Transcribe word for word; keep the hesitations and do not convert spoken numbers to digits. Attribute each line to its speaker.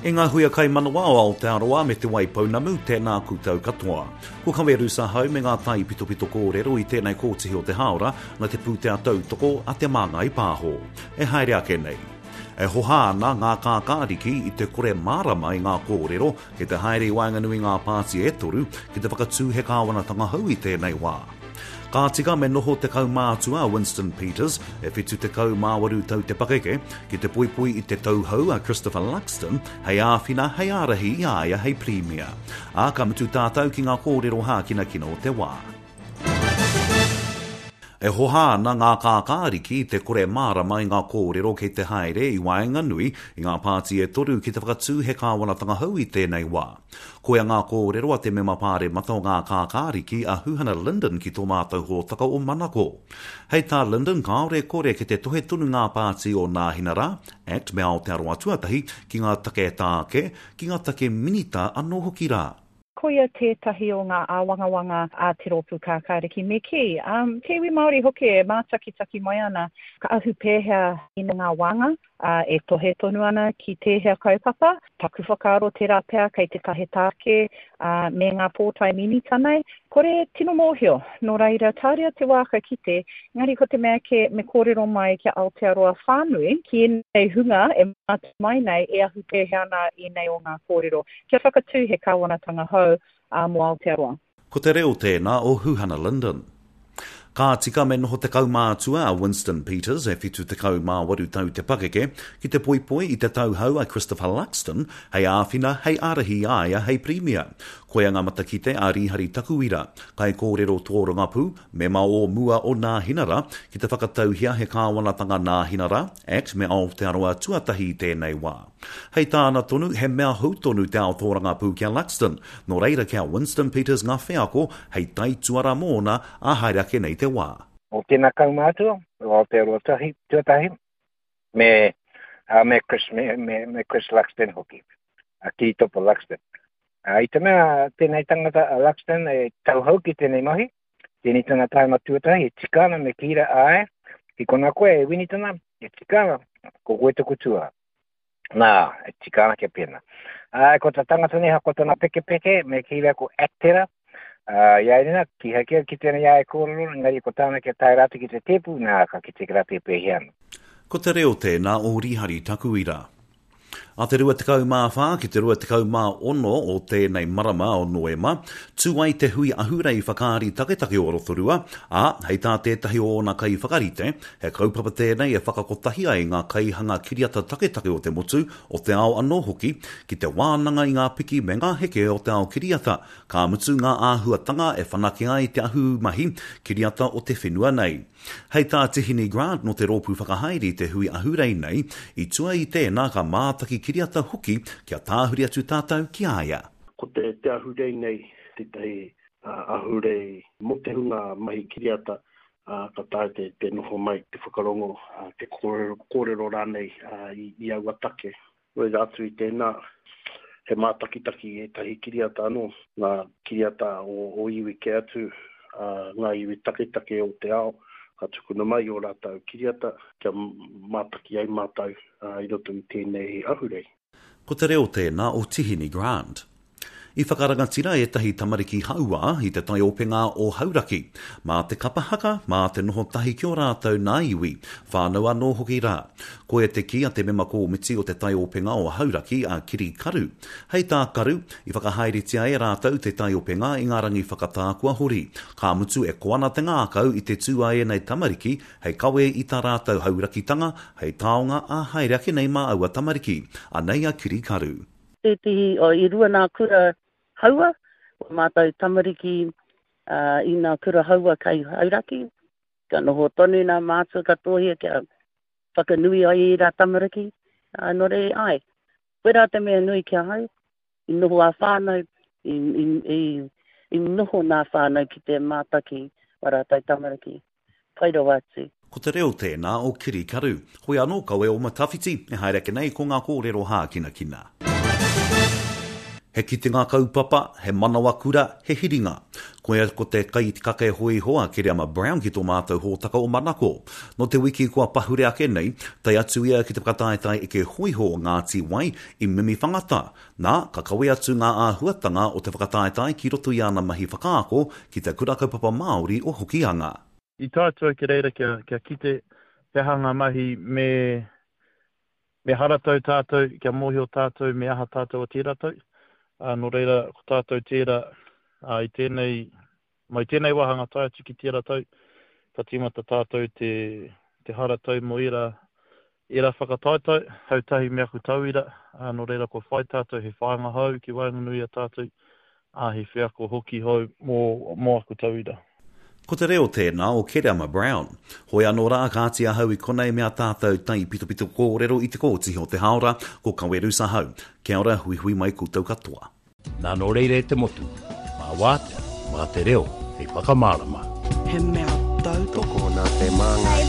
Speaker 1: E ngā huia kaimanawa o Aotearoa me Te Waipounamu, tēnā koutou katoa. Ko Kawe Rusahau me ngā tai pitopito kōrero i tēnei kōtihi o te hāora na te pūtea tautoko a Te Māngai Pāho. E haere ake nei. E hoha ana ngā kākāriki i te kore mārama i ngā kōrero kei te haere i waenganui ngā pāti e toru ki te whakatū he kāwanatanga hou i tēnei wā. Ka tika me noho te kaumātua a Winston Peters, e whitu tekau mā waru tau te pakeke, ki te poipoi i te tauhou a Christopher Luxon hei āwhina, hei ārahi i a ia hei Pirimia. Ā, ka mutu tātou ki ngā kōrero hākinakina o te wā. E hoha ana ngā kākāriki i te kore mārama i ngā kōrero kei te haere i waenganui i ngā pāti e toru ki te whakatū he kāwanatanga hou i tēnei wā. Koia ngā kōrero a te mema pāremata o ngā kākāriki a Huhana Lyndon ki tō mātou hōtaka o Manako. Hei tā Lyndon kāore kore ki te tohe tonu ngā pāti o Nāhinara, Act me Aotearoa Tuatahi ki ngā take tāke, ki ngā take minita anō hoki rā.
Speaker 2: Koia tētahi o ngā āwangawanga a Te Rōpū Kākāriki me kī, um, te iwi Māori hoki e mātakitaki mai ana, ka ahu pēhea i ngā wānga, ā, e tohe tonu ana ki tēhea kaupapa. Taku whakaaro tērā pea kei te tahe tāke, ā, me ngā pōtae minita nei. Kore tino mōhio, nō reira, tāria te wā ka kite, engari ko te mea kē me kōrero mai kia Aotearoa whānui, ki ēnei hunga e mātau mai nei e ahu pēhea ana ēnei o ngā kōrero, kia whakatū he kāwanatanga hou, ā, mō Aotearoa.
Speaker 1: Ko te reo tēnā o Huhana Lyndon. Ka tika me noho te kaumātua a Winston Peters, e whitu tekau mā waru tau te pakeke, ki te poipoi i te tauhou a Christopher Luxon hei āwhina, hei ārahi i a ia hei Pirimia. Koia ngā matakite a Rīhari Takuira, kaikōrero tōrangapū, mema o mua o Nāhinara, ki te whakatauhia he kāwanatanga Nāhinara, Act me Aotearoa tuatahi i tēnei wā. Hei tāna tonu, he mea hou tonu te ao tōrangapū ki a Luxton, nō reira ki a Winston Peters ngā wheako hei taituara mōna ā haere ake nei te wā.
Speaker 3: O tēnā kaumātua, o Aotearoa tahi, tuatahi, me, uh, me, Chris, me, me, me Chris Luxton hoki, a Kiritopa Luxton. Uh, I te mea tēnei tangata a Luxton e tauhou ki tēnei mahi, tēnei tana taima tuatahi, e tika ana me kīra āe, ki kona koe e Winitana, e tika ana, ko koe taku tua. Nā, e tika ana kia pēnā. Ā, ko ta tangata nei, ko tana pekepeke, me kī rā ko Actera, ā, i a Irina, kīhai kē ki tēnei a e kōrero, engari ko tāna kia tae rātou ki te tēpu, nā, ka kite ki rātou e pēhea ana.
Speaker 1: Ko te reo tēnā o Rihari Takuira. A te rua tekau mā whā ki te rua tekau mā ono o tēnei marama o Noema, tū ai te hui ahurei whakaari taketake o Rotorua, ā, hei tā tētahi o ōna kaiwhakarite, he kaupapa tēnei e whakakotahi ai ngā kaihanga kiriata taketake o te motu, o te ao anō hoki, ki te wānanga i ngā piki me ngā heke o te ao kiriata, ka mutu ngā āhuatanga e whanake ai te ahumahi kiriata o te whenua nei. Hei tā Tihini Grant nō te rōpū whakahaere i te hui ahurei nei, i tua i tēnā ka mātaki kiriata hoki kia tāhuri atu tātou ki a ia.
Speaker 4: Ko te, te ahurei nei tētahi ahurei mō te hunga mahi kiriata, ā, ka taea te, te noho mai, te whakarongo, ā, te kōrero, kōrero rānei ā, i, i aua take. Reira atu i tēnā, he mātakitaki i ētahi kiriata anō, ngā kiriata o, o iwi kē atu, ā, ngā iwi taketake o te ao, ka tukuna mai ō rātou kiriata kia mātaki ai mātou i roto i tēnei ahurei.
Speaker 1: Ko te reo tēnā o Tihini Grant. I whakarangatira ētahi tamariki hauā i te taiopenga o Hauraki, mā te kapa haka, mā te noho tahi ki ō rātou nā iwi, whānau anō hoki rā. Koia te kī a te mema kōmiti o te taiopenga o Hauraki a Kiri Karu. Hei tā Karu, i whakahaeretia e rātou te taiopenga i ngā rangi whakatā kua hori, ka mutu e koa ana te ngākau i te tū a ēnei tamariki hei kawe i tā rātou haurakitanga hei taonga ā haere ake nei mā aua tamariki. Anei a Kiri Karu.
Speaker 5: Tētehi, oh, i rua nā kura haua, o mātou tamariki, uh, i nā kura haua kai Hauraki. Ka noho tonu nā mātua katoa kia whakanui ai i rā tamariki. Uh, nō reira, ai, koirā te mea nui ki ahau, i noho ā whānau, i, i, i, i noho nā whānau ki te mātaki o rātou tamariki. Pai rawa atu.
Speaker 1: Ko te reo tēnā o Kiri Karu. Hoi anō kawe o Matawhiti, e haere ake nei ko ngā kōrero hākinakina. He kitenga kaupapa, he manawa kura, he hiringa. Koia ko te kaikake hōiho a Kereama Brown ki tō mātou hōtaka o Manako. Nō te wiki kua pahure ake nei, tae atu ia ki te whakataetae eke hōiho o Ngāti Wai i Mimiwhangata. Nā, ka kawe atu ngā āhuatanga o te whakataetae ki roto i āna mahi whakaako ki Te Kura Kaupapa Māori o Hokianga.
Speaker 6: I tae atu au ki reira kia, kia kite he aha ngā mahi me, me haratau tātou, kia mōhio tātou me aha tātou o tērā tau. Ā, nō reira, ko tātou tērā, ā, i tēnei, mai tēnei wāhanga tae atu ki tērā tau, ka tīmata tātou te, te haratau mō ērā, ērā whakataetae, hau tahi me aku tauira, ā, nō reira kua whai tātou he whāinga hou ki waenganui i a tātou, ā, he wheako hoki hou mō, mō aku tauira.
Speaker 1: Ko te reo tēnā o Kereama Brown. Hoi anō rā, kāti ahau i konei me a tātou taipitopito kōrero i te kōtihi o te hāora, ko Kawerus ahau. Kia ora, huihui mai koutou katoa.
Speaker 7: Nā nō reira e te motu, mā wātea, mā te reo hei whakamārama.
Speaker 8: He mea tautoko.
Speaker 9: Tokona te māngai.